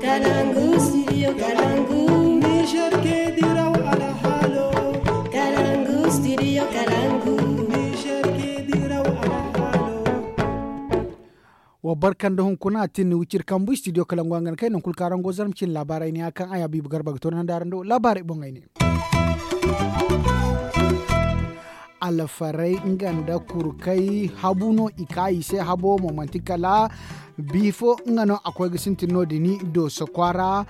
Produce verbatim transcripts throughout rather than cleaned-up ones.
Kalangu, studio Kalangu. Niger ke diraw alhalo. Kalangu, studio Kalangu. Niger ke diraw alhalo. Wa barka nda hunkuna a tin ni wiciri kambu studio Kalangu a ga na kay nangu kulu kaŋ araŋ go zarma cine laabaarey ne ya kaŋ ay habiibu garba ga toonandi araŋ do laabaarey boŋey ne. Alfarey nga nda kurkay habu no i ka i se habo mo manti kala bifo nga no a koy ga sintin no- din i dooso kwaara.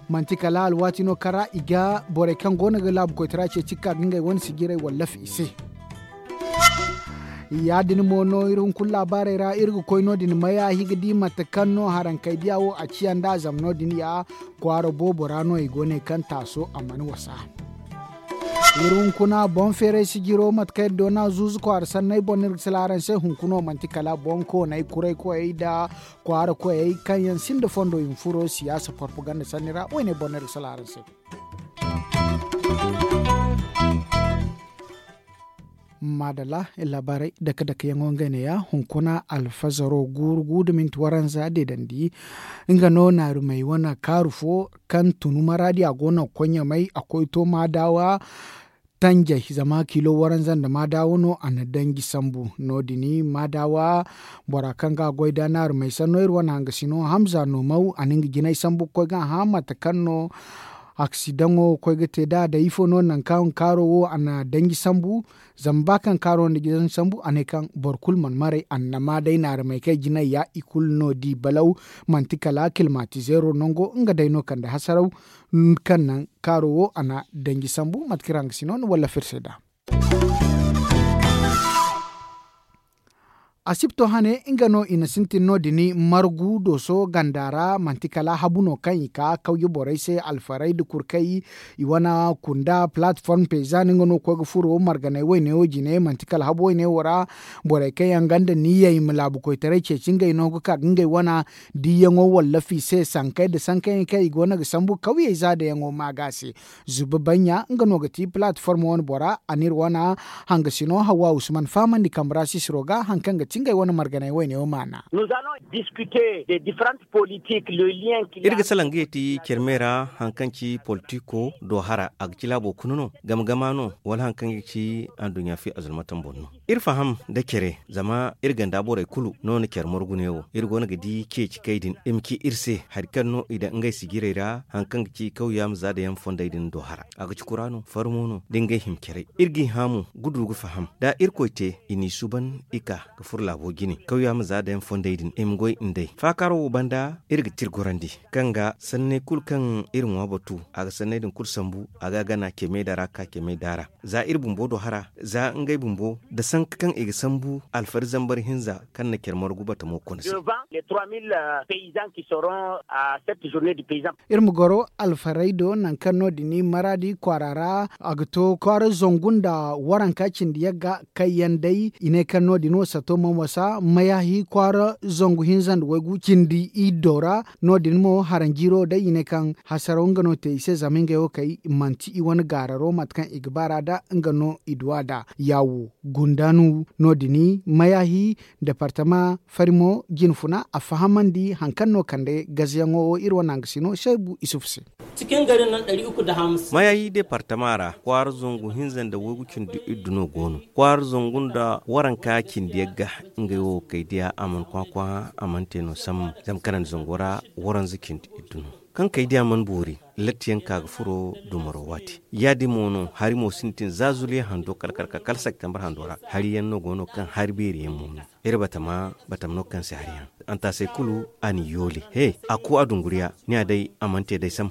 Manti kala alwaati no kaŋ ra i ga borey kaŋ go no ga laabu koytara ceeci ka ga ngey wane sijirey wallafi i se. Ya- din mo no iri hunkuna laabaarey ra iri ga koy no- din mayahi ga di mate kaŋ no harankey diya wo a ciya nd'a zama no- din ya kwaara boobo ra no i go ne kaŋ taaso a mana wasa. Iri hunkuna boŋ feeray sijiro mate kaŋ iri doona zuuzu kwaara sanney boŋ no iri ga sila araŋ se hunkuno manti kala boŋ koonay kuray koyey nda kwaara koyey kaŋ yaŋ sinda fondo i ma furo siyaasa porpaganda sanni ra woyne boŋ no iri ga sila araŋ se. Maadalla, laabaarey dake dake yaŋo ngey ne ya hunkuna alfazaro guuru gu nda minti waranza deedandi. Nga no naarumey wane kaaru fo kaŋ tunu maraadi a go no ga koy ɲamay a koy to maadaawa tanjay zama kilo waranza nda maadaawa no a na danji sambu. No- din maadaawa bora kaŋ ga a goy da naarumey sanno iri wane hangasino hamza no maw a na nga jinay sambu ga koy ga a hã mate kaŋ no aksidaŋo ga koy ga te nd'a day ifo no nangu kaŋ kaaro wo a na danji sambu. Zama ba kaŋ kaaro nda gidan sambu a ne kaŋ boro kulu mana maray annama day naaramey kaŋ ay jinay ya i kulu no di balaw. Manti kala kilmatizeero nango nga day no kande hasaraw kaŋ naŋ kaaro wo a na danji sambu mate kaŋ iri hangasino na wallafir se nd'a. Asibto hane nga no i na sintin no- din margu dooso ganda ra manti kala habu no kaŋ i ka kawye borey se alfarey nda kurkay. I wane kunda platform paysan nga no ga koy ga furo marganay wayne wo jine manti kala habu wayne wo ra. Borey kaŋ yaŋ ganda niyyey ma laabu koytaray ceeci ngey no ga ka ga ngey wane diiyaŋo wallafi se sankey nda sankayaŋ kaŋ i go no ga sambu kawyey zaadayaŋo ma ga se. Zuba baɲɲa nga no ga ti platform wane bora a n'iri wane hangasino hawa usman fahamandi kambe ra sisiro ga hari kaŋ ga ti ngey wane marganay wayne wo maana. Iri ga salaŋ ga yeti care me ra hari kaŋ ci politiko do hara a ga ci laabo kuna no game gama no wala hari kaŋ ga ci anduɲɲa fi azulmataŋ boŋ no. Iri faham nda care zama iri ganda borey kulu no na care margu ne wo iri go no ga di ceeci kay din i ma ci iri se hari kaŋ no i daŋ ngey sijirey ra hari kaŋ ga ci kawya ma za da yaŋ fondey din do hara a ga ci kura no farmo no da ngey hima carey. Iri g'i hã mo ga du ga faham da irkoy te i n'i suuban i ka ga furo laabo jine kawya ma za da yaŋ fondey din i ma goy nd'ey faakaaro wo banda iri ga ti iri gorandi kaŋ ga sanney kulu kaŋ iri ŋwa batu a ga sanney din kulu sambu a ga a gana cemey da ra ka cemey da ra. Za iri bumbo do hara za ngey bumbo nda sanka kaŋ i ga sambu alfari zambar hinza kaŋ na care margu batamo kona se. Iri ma goro alfarey do nangu kaŋ no- din maraadi kwaara ra a ga to kwaara zangu nda waranka cindi yagga kaŋ yaŋ day i ne kaŋ no- din wo sato mana wasa mayahi kwaara zangu hinza nda waygu cindi iddo ra. No- din mo haranjiiro day i ne kaŋ hasaraw nga no te i se zama ngey wo kay manti i wane gaararo mate kaŋ i ga baar'a da nga no i du a da yaawo gundanu no- din mayahi departama farimo jinfuna a fahamandi hari kaŋ no kande gazeyaŋo wo iri wane hangasino seebu isufu se. Mayayi departama ra kwaara zangu hinza nda waygu cindi iddu no go no kwaara zangu nda waranka cindi yagga ngey wo kay diya a mana kwakwa a mana te no sambu zama kanandi zango ra waranza cindi iddu no kaŋ kay diya mana boori. Lattiyaŋ ka ga furo dumaro waati ya- din mo no hari mo sintin za zuliya hando kala kala kala septembre hando ra hari yaŋ no go no kaŋ hari beeri yaŋ mo no. Iri batama batama no kaŋ se hari yaŋ antaasey kulu a n'i yoole he a ku a dunguriya ni a day a mana te day sam.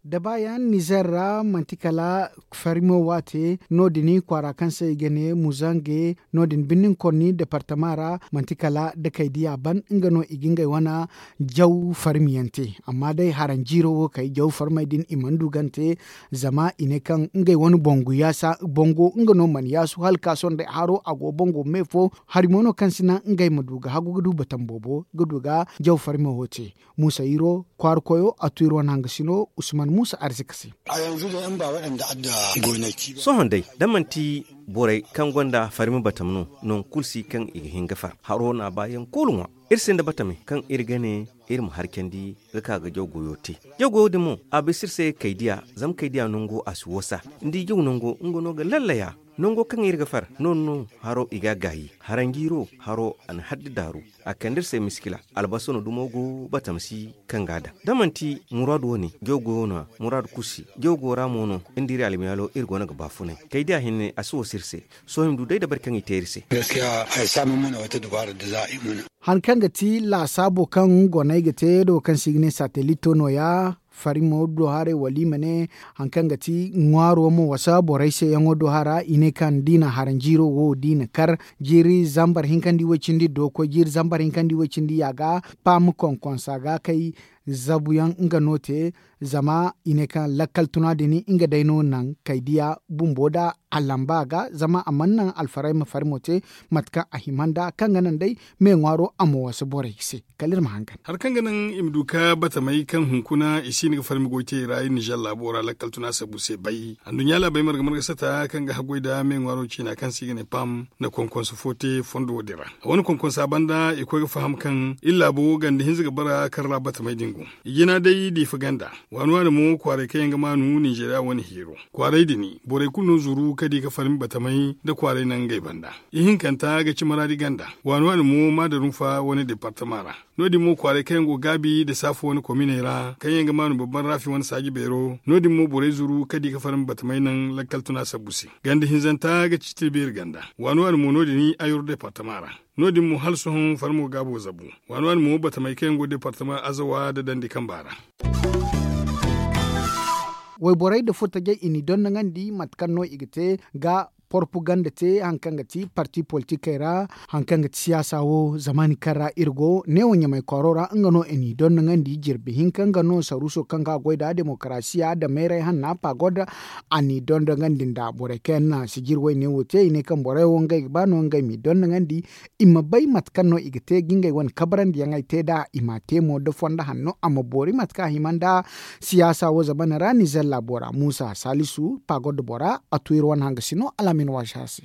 Da baayaŋ nizer ra manti kala farimo waate no- din kwaara kaŋ se i ga ne muzange no- din birnin konni departama ra manti kala da kay diya ban nga no i ga ngey wane jaw farmiyaŋ te. Amma day haranjiiro wo kay jaw farmey din i mana du gante zama i ne kaŋ ngey wane bongo yaasa bongo nga no mana yaasu hala ka sohõ day haro a go bongo me fo hari mo no kaŋ si naŋ ngey ma du ga hagu ga du batam boobo ga du ga jaw farme wo te. Muusa iro kwaara koyo a tu iri wane hangasino usman muusa arzika se. Sohõ day da manti borey kaŋ gonda farme batam no nangu kulu si kaŋ i ga hin ga far haro no a ba yaŋ kulu ŋwa. Iri sinda batamey kaŋ iri ga ne iri ma harcandi ga ka ga jaw goyo te. Jaw goyo din mo a bisa iri se kaydiya zama kaydiya nango a si wasa ni di jaw nango nga no ga lallaya. Nango kaŋ iri ga far no- din no haro i ga a gaayi haranjiiro haro a na haddi daaru. A kande iri se miskila albasa no dumo go batamsi kaŋ ga a daŋ da manti muraadu wane jaw goyo no- ya muraadu kulu si jaw go ra mo no. Iri da iri almiyaalo iri go no ga baafunay kaydiya hinne a si wasa iri se. Sohõ i ma du day dabari kaŋ i te iri se. Hari kaŋ ga ti laasaabo kaŋ goney ga te do kaŋ se i ga ne satelito no- ya farimo do haray wala i ma ne hari kaŋ ga ti ŋwaaro ma wasa borey se yaŋo do hara i ne kaŋ da i na haranjiiro wo da i na kar jiiri zambar hinkandi woy-cindi do ga koy jiiri zambar hinkandi woy-cindi ya ga paam konkonsa ga kay. Zabuyaŋ nga no te zama i ne kaŋ lakkal tuna din nga day no naŋ kaydiya bumbo da a lamba a ga zama a mana naŋ alfarayma farimo te mate kaŋ a hima nd'a kaŋ ga naŋ day me ŋwaaro a ma wasa borey se. Kala iri ma hangan. Hari kaŋ ga naŋ i ma du ka batamey kaŋ hunkuna i si hin ga farmi goy te i ra iri nizer laabo ra lakkal tuna sabu se bay anduɲɲa laabey marga marga sata kaŋ ga haggoy nda me ŋwaaro ciina kaŋ se i ga ne pam na konkonsa fo te fondo wo- din ra. A wane konkonsa banda i koy ga faham kaŋ iri laabo ganda hinza ga bara kaŋ ra batamey din go. I jina day diifa ganda waani waani mo kwaaray kaŋ yaŋ ga maanu ninzeeriya wane heero. Kwaaray din borey kulu no zuru ka di ka farmi batamey nda kwaaray naŋ ngey banda. Ihinkanta ga ci maraadi ganda waani waani mo maadarunfa wane departama ra. No- din mo kwaaray kaŋ yaŋ go gaabi nda saafu wane kominey ra kaŋ yaŋ ga maanu babban raafi wane saaji beero no- din mo borey zuru ka di ka farmi batamey naŋ lakkal tuna sabbu se. Ganda hinzanta ga ci tilbeeri ganda waani waani mo no- din ayro departama ra. No- din mo hala sohõ farmo gaabo zabu waani waani mo batamey kaŋ yaŋ go departama azawa nda dandi kamba ra. Wayborey nda furtajey i n'i dondoŋandi mate kaŋ no i ga te ga porpaganda te hari kaŋ ga ti parti politikey ra. Hari kaŋ ga ti siyaasa wo zamaani kaŋ ra iri go neewo ɲamay kwaaro ra nga no i n'i dondoŋandi jirbi hinka nga no saruuso kaŋ ga goy nda demokarasiya nda mayray hanna pagod. A n'i dondoŋandi nda borey kaŋ yaŋ na sijir wayne wo te i ne kaŋ borey wo ngey ga ba no ngey m'i dondoŋandi i ma bay mate kaŋ no i ga te ga ngey wane kabarandiyaŋey te nd'a i m'a te mo nda fondo hanno a ma boori mate kaŋ a hima nda siyaasa wo zamana ra nizer laabo ra muusa saalisu pagod bora a tu iri wane hangasino alaamin waasi a se.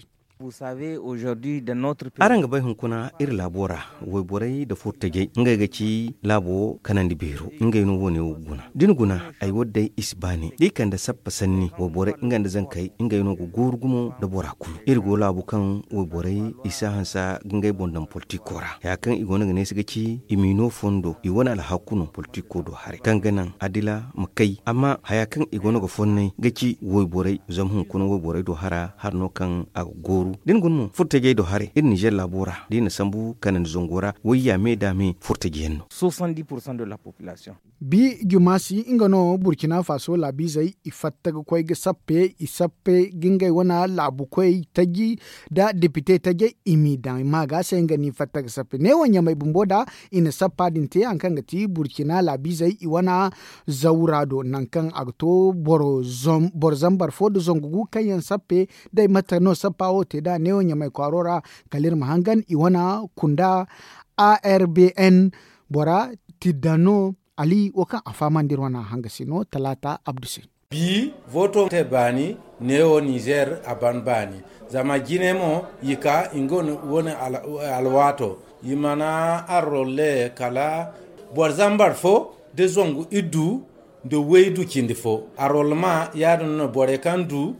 Araŋ ga bay hunkuna iri laabo ra wayborey nda furtajey ngey ga ci laabo kanandi beero ngey no wo- ne wo ga guna da ni guna ay wo- din day i si baani da i kande sappa sanni wayborey nga nda zankey ngey no ga gooru gumo nda bora kulu iri go laabu kaŋ wayborey i si a hanse ga ngey boŋ daŋ politiko ra haya kaŋ i go no ga neesi ga ci i m'i no fondo i wane alhakku no politiko do haray kaŋ ga naŋ adila ma kay amma haya kaŋ i go no ga fonnay ga ci wayborey zama hunkuna wayborey do hara hari no kaŋ a ga gooru da ni guna mo furtajey do haray iri nizer laabo ra da i na sambu kanandi zango ra wayya me da me furtaji yaŋ no. Bi jumaasi nga no burkina faso laabiizey i fatta ga koy ga sappe i sappe ga ngey wane laabukoy taji nda depite tajey i m'i daŋ maaga se nga no i fatta ga sappe neewo ɲamay bumbo nda i na sappa din te hari kaŋ ga ti burkina laabiizey i wane zawra do nangu kaŋ a ga to boro zambar fo nda zangu gu kaŋ yaŋ sappe day mate no sappa wo te nd'a neewo ɲamay kwaaro ra. Kala iri ma hangan i wane kunda arbn bora tiddano ali wo kaŋ a fahamandi iri wane hangasino talaata abdu se. Bi voto te baani neewo nizer a ban baani zama jine mo i ka i go wane alwaato i mana arrolle kala boro zambar fo da zangu iddu nda waydu cindi fo arrollema ya- din no borey kaŋ du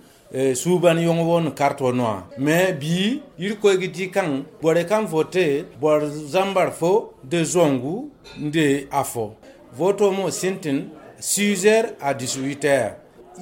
suubanyaŋo wo na karto no- ya me bi irkoy ga di kaŋ borey kaŋ vote boro zambar fo nda zangu nda afo voto mo sintin sizer a dix-huit heures.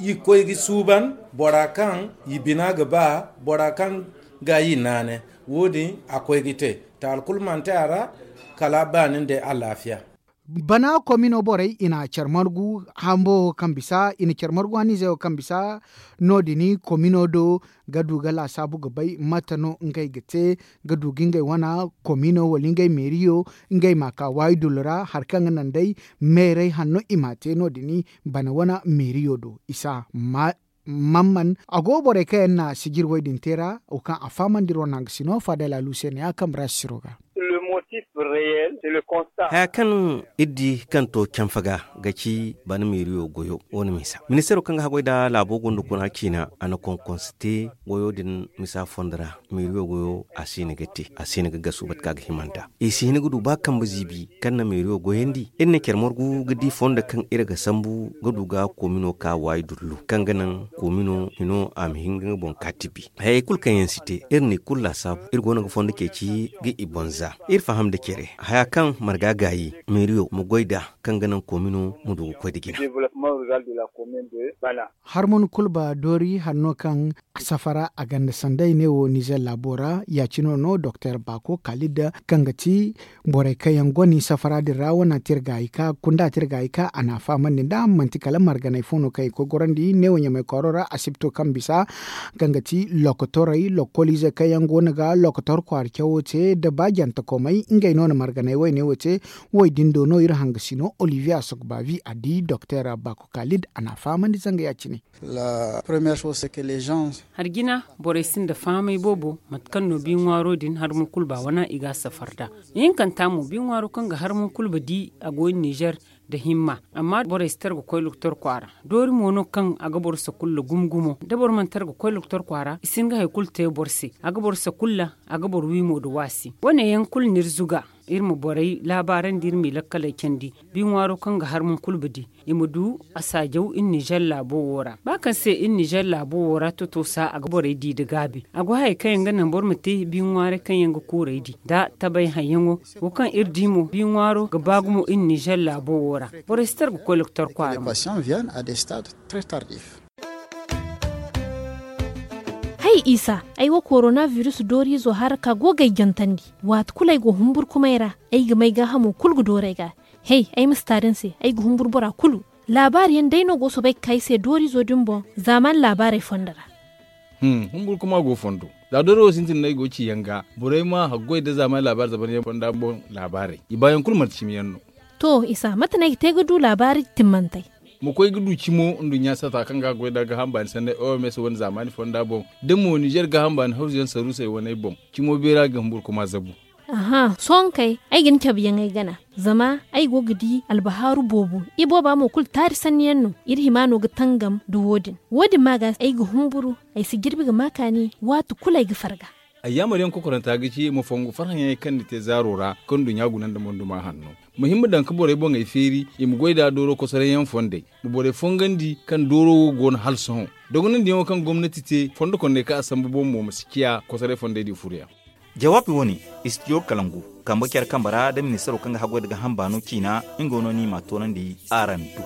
I koy ga suuban bora kaŋ i bina ga ba bora kaŋ ga i naanay wo- din a koy ga te taali kulu mana te a ra. Kala baani nda alaafiya. Bana komino borey i na care margu hambo wo kaŋ bisa i na care margu haniizey wo kaŋ bisa no- din komino do ga du ga laasaabu ga bay mate no ngey ga te ga du ga ngey wane komino wala ngey meeriyo ngey m'a ka waayi dullu ra hari kaŋ ga naŋ day meerey hanno i m'a te no- din bana wane meeriyo do isa. Mamman a go borey kaŋ yaŋ na sijir woy din te ra wo kaŋ a fahamandi iri wane hangasino faadala luuseene ya kambe ra sisiro ga. Haya kaŋ iri di kaŋ to canfa ga ga ci bana meeriyo goyo wane misa ministeero kaŋ ga haggoy nda laabo gonda kuna ciina a na konkonse te goyo din misa fondo ra. Meeriyo goyo a si hin ga te a si hin ga gasu bate kaŋ a ga hima nd'a i si hin ga du ba kambe ziibi kaŋ na meeriyo goyandi iri na care margu ga di fondo kaŋ iri ga sambu ga du ga koomino ka waayi dullu kaŋ ga naŋ koomino hino a ma hin ga nga boŋ ka tibi. Hayey kulu kaŋ yaŋ si te iri na i kulu laasaabu iri go no ga fondo ceeci ga i bonza. Iri faham nda care haya kaŋ marga gaayi meeriyo ma goy nd'a kaŋ ga naŋ koomino ma du ga koy nda jina. Harmon kulba doori hanno kaŋ safara a ganda sanday ne wo nizer laabo ra ya- cine no doktor baako kaalid kaŋ ga ti borey kaŋ yaŋ gonda safara din ra wane tirgaayi ka kunda tirgaayi ka a na a fahamandi nd'a manti kala marganey fo no kaŋ i ga koy gorandi neewo ɲamay kwaaro ra asibto kaŋ bisa kaŋ ga ti lokotorey lokoliizey kaŋ yaŋ go no ga lokotor kwaara cawo te nda ba jantakomey ngey no na marganey woyne wo te. Woy din do no iri hangasi no olivier asogbavi a di doktor baako kaalid a na a fahamandi zanga ya- cine. Harjina borey sinda fahamay boobo mate kaŋ no bi ŋwaaro din harmon kulba wana i ga a safar nd'a. Ihinkanta mo bi ŋwaaro kaŋ ga harmon kulba di a go iri nizer nda himma amma borey si tar ga koy lokotor kwaara. Doori mo no kaŋ a ga boro sakulla gumo gumo da boro mana tar ga koy lokotor kwaara i si hin ga hari kulu te boro se a ga boro sakulla a ga boro wi mo nda waasi wane yaŋ kulu no iri zuga iri ma borey laabaarandi iri m'i lakkaley candi. Bi ŋwaaro kaŋ ga harmon kulba di i ma du a saajaw iri nizer laabo wo ra ba kaŋ se iri nizer laabo wo ra totosa a ga borey di nda gaabi a go hayey kaŋ yaŋ ga naŋ boro ma te bi ŋwaaray kaŋ yaŋ ga kuurey di nda tabay hayyaŋo. Wo kaŋ iri di mo bi ŋwaaro ga ba gumo iri nizer laabo wo ra borey si tar ga koy lokotor kwaara. Hay isa, ay wo korona virus dooriizo haraka go ga ay jantandi. Waati kulu ay go humburkumay ra ay ga may gaahamo kulu ga dooru ay ga. Hey, ay ma si taari ni se ay ga humburu bora kulu. Laabaari yaŋ day no go soobay ga ka ay se dooriizo din boŋ zaamaani laabaarey fondo ra. Humburkuma go fondo. Za doori wo sintin no ay go ga ci yaŋ ga borey ma haggoy nda zaamaani laabaari zabaryaŋ fonda boŋ laabaarey i baayaŋ kulu manti cimi yaŋ no. To isa mate no ay ga te ga du laabaari timmantey? Ma koy ga du cimo nduɲɲa sata kaŋ ga a goy nda gaaham baani sanney oms wane zaamaani fonda boŋ da mo nizer gaaham baani hawzuyaŋ saruusey waney boŋ. Cimo beera ga humburkuma zabu. Aha sohõ kay ay ga ni cabe yaŋ ay gana. Zama ay go ga di albahaaru boobo ibooba mo kulu taari sanni yaŋ no. Iri hima no ga tangam nda wo- din wo- din ma ga ay ga humburu. Ay si jirbi ga ma kaani waati kulu ay ga farga. Ayyaamar yaŋ kokoranta ga ci ma fongu farhã yaŋey kaŋ ni te zaaro ra kaŋ nduɲɲa guna nda monduma hanno. Ma hima daŋ ga borey boŋey feeri i ma goy nd'a dooro kosoray yaŋ fondey. Ma borey fongandi kaŋ dooro wo go no hala sohõ. Dogonandiyaŋo kaŋ gomnati te fondo konney kaŋ a sambu boŋ mo ma si ciya kosoray fondey din furoyaŋ. Jawaabi wo- ne, istidiyo kalangu kambe care kambe ra nda ministaro kaŋ ga haggoy nda gaaham baano ciina. Nga no no i m'a toonandi araŋ do.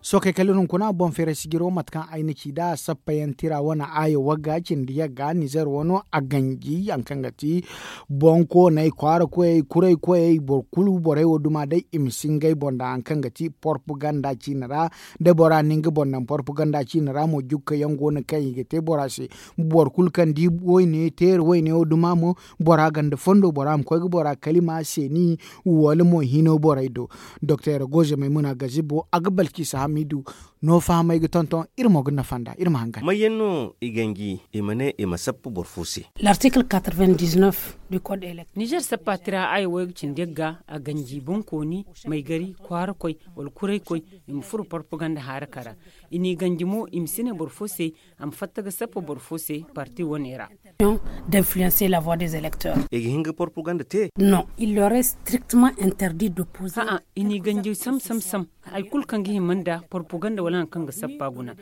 Sookey kala iri hunkuna boŋ feeray sijiro mate kaŋ ay na ci nd'a sappayaŋ tira wane aayo wagga cindi yagga nizer wano a ganji hari kaŋ ga ti boŋkooney kwaara koyey kuray koyey boro kulu borey wo duma day i ma si ngey boŋ daŋ hari kaŋ ga ti porpaganda ciine ra. Da bora na nga boŋ daŋ porpaganda ciine ra mo jukka yaŋ go no kaŋ i ga te bora se. Boro kulu kaŋ di wayne teeri wayne wo duma mo bora ganda fondo bora ma koy ga bora kalima seeni wala mo hino borey do. Doktor goze maymuna gazibo a ga balkisa hamidu. No fahamay ga tonton iri mo ga nafa nd'a iri ma hangan. Mayyaŋ no i ganji i ma ne i ma sappa boro fo se? L'article quatre-vingt-dix-neuf du code électoral. Nizer sappa tira aya wayga cindi yagga a ganji bonkooni maygari kwaara koy wala kuray koy. I ma furo porpaganda haaraka ra. I n'i ganji mo i ma si ne boro fo se a ma fatta ga sappa boro fo se parti wane ra. D'influencer la voie des électeurs. I ga hin ga porpaganda te? Non, il leur est strictement interdit d'opposer. A'a, i n'i ganji sam sam sam. Hari kulu kaŋ ga hima nda porpaganda wala hari kaŋ ga sappa guna.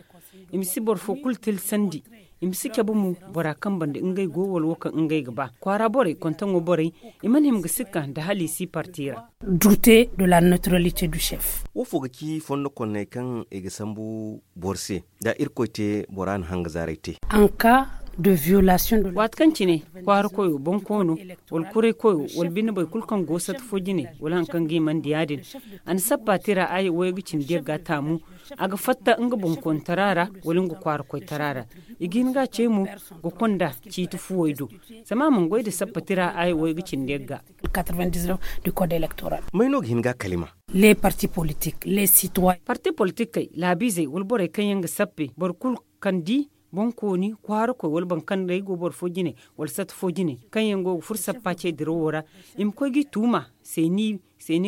I ma si boro fo kulu tilsandi. I ma si cabe mo bora kaŋ banda ngey go wala wo kaŋ ngey ga ba kwaara borey kontaŋo borey. I mana hima ga sikka nda hala i si parti ra. Douter de la neutralité du chef. Wo fo ga ci fondo konney kaŋ i ga sambu boro se da irkoy te bora na hanga zaaray te? En cas de violation de la. Waati kaŋ cine kwaara koyo bonkoono wala kuray koyo wala bine boro kulu kaŋ go sata fo jine wala hari kaŋ ga himandi ya- din. A na sappa tira aya wayga cindi yagga taamu. A ga fatta nga bonkoontara ra wala nga kwaara koytara ra. I ga hin ga a cey mo ga konda ciiti fuwey do. Zama a mana goy nda sappa tira aya wayga cindi yagga. May no ga hin ga a kalima? Les partis politiques les citoyens. Parti politikey laabiizey wala borey kaŋ yaŋ ga sappe boro kulu kaŋ di Bonkooni kwaarakoy wala boro kaŋ day go boro fo jine, wala sata fo jine, kaŋ yaŋ go ga furo sappa ce dirawo ra, i ma koy g'i tuuma. Seeni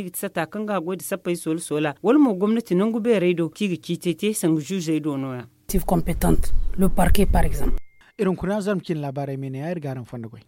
ga ti sata kaŋ ga a goy nda sappey soola soola wala mo gomnati nangu beerey do kaŋ i ga ciitey te sanga zuuzey do no- ya. Iri hunkuna zarma cine laabaarey ma i ne ya iri ga araŋ fondo goy.